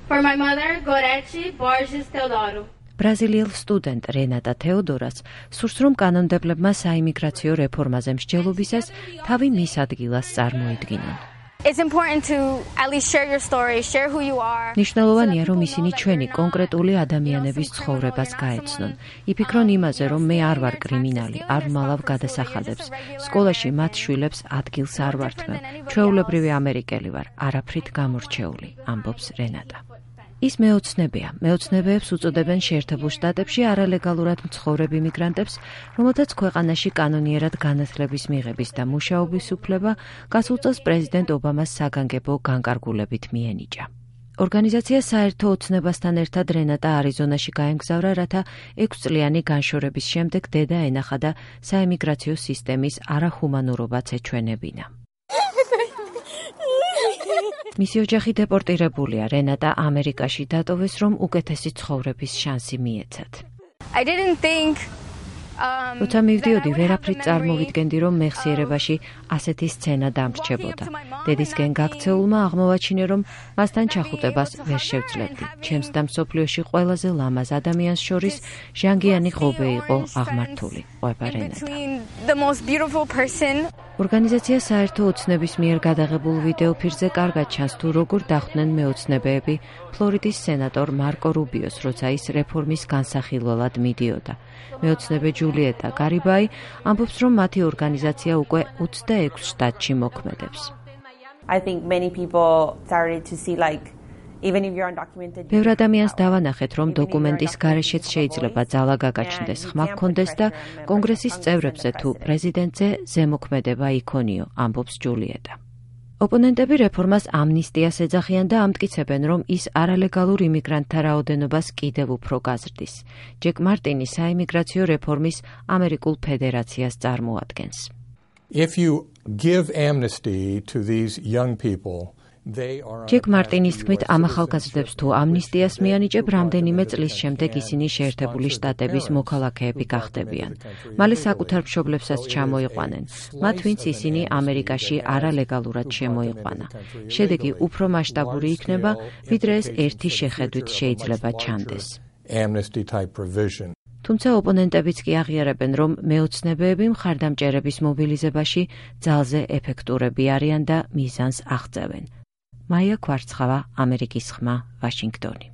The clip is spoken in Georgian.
For my mother, Gorete Borges Teodoro. ბრაზილიელ სტუდენტ რენატა თეოდორას სურს, რომ კანონმდებლებმა საიმიგრაციო რეფორმაზე მსჯელობისას თავი მის ადგილას წარმოიდგინონ. It's important to at least share your story, share who you are. ნიშნულოვანია, რომ ისინი ჩვენი კონკრეტული ადამიანების ცხოვრებას გაეცნონ. იფიქრონ იმაზე, რომ მე არ ვარ კრიმინალი, არ ვმალავ გადასახადებს. სკოლაში მათ შვილებს ადგილს არ ვართმევ. ჩვეულებრივი ამერიკელი ვარ, არაფრით გამორჩეული, ამბობს რენატა. ის მეოცნებია. მეოცნებეებს უწოდებენ შეერთებულ შტატებში არალეგალურად მცხოვრებ იმიგრანტებს, რომელთაც ქვეყანაში კანონიერად განათლების მიღების და მუშაობის უფლება გასულ წელს პრეზიდენტ ობამას საგანგებო განკარგულებით მიენიჭა. ორგანიზაცია საერთო ოცნებასთან ერთად რენატა არიზონაში გაემგზავრა, რათა 6 წლიანი განშორების შემდეგ დედა ენახა და საიმიგრაციო სისტემის არახუმანურობაც ეჩვენებინა. მისი ოჯახი დეპორტირებულია. რენატა ამერიკაში დატოვეს, რომ უკეთესი ცხოვრების შანსი მიეცათ. როცა მივდიოდი, ვერაფრით წარმოვიდგენდი, რომ მეხსიერებაში ასეთი სცენა დამრჩებოდა. დედისკენ გაქცეულმა აღმოვაჩინე, რომ მასთან ჩახუტებას ვერ შევძლებდი. ჩემს და მსოფლიოში ყველაზე ლამაზ ადამიანს შორის ჟანგიანი ღობე იყო აღმართული, ყვება რენატა. ორგანიზაცია საერთო ოცნების მიერ გადაღებულ ვიდეოფირზე კარგად ჩანს, თუ როგორ დახვდნენ მეოცნებეები ფლორიდის სენატორ მარკო რუბიოს, როცა ის რეფორმის განსახილველად მიდიოდა. მეოცნებე ჯულიეტა გარიბაი ამბობს, რომ მათი ორგანიზაცია უკვე 26 შტატში მოქმედებს. ბევრ ადამიანს დავანახეთ, რომ დოკუმენტის გარეშეც შეიძლება ძალა გაგაჩნდეს, ხმა გქონდეს და კონგრესის წევრებზე თუ პრეზიდენტზე ზემოქმედება იქონიო, ამბობს ჯულიეტა. ოპონენტები რეფორმას ამნისტიას ეძახიან და ამტკიცებენ, რომ ის არალეგალურ იმიგრანტთა რაოდენობას კიდევ უფრო გაზრდის. ჯეკ მარტინი საიმიგრაციო რეფორმის ამერიკულ ფედერაციას წარმოადგენს. ჯეკ მარტინის თქმით, ამ ახალგაზრდებს თუ ამნისტიას მიანიჭებ, რამდენიმე წლის შემდეგ ისინი შეერთებული შტატების მოქალაქეები გახდებიან. მალე საკუთარ მშობლებსაც ჩამოიყვანენ, მათ ვინც ისინი ამერიკაში არალეგალურად შემოიყვანა. შედეგი უფრო მასშტაბური იქნება, ვიდრე ეს ერთი შეხედვით შეიძლება ჩანდეს. თუმცა ოპონენტებიც კი აღიარებენ, რომ მეოცნებეები მხარდამჭერების მობილიზებაში ძალზე ეფექტურები არიან და მიზანს აღწევენ. მაია კვარცხავა, ამერიკის ხმა, ვაშინგტონი.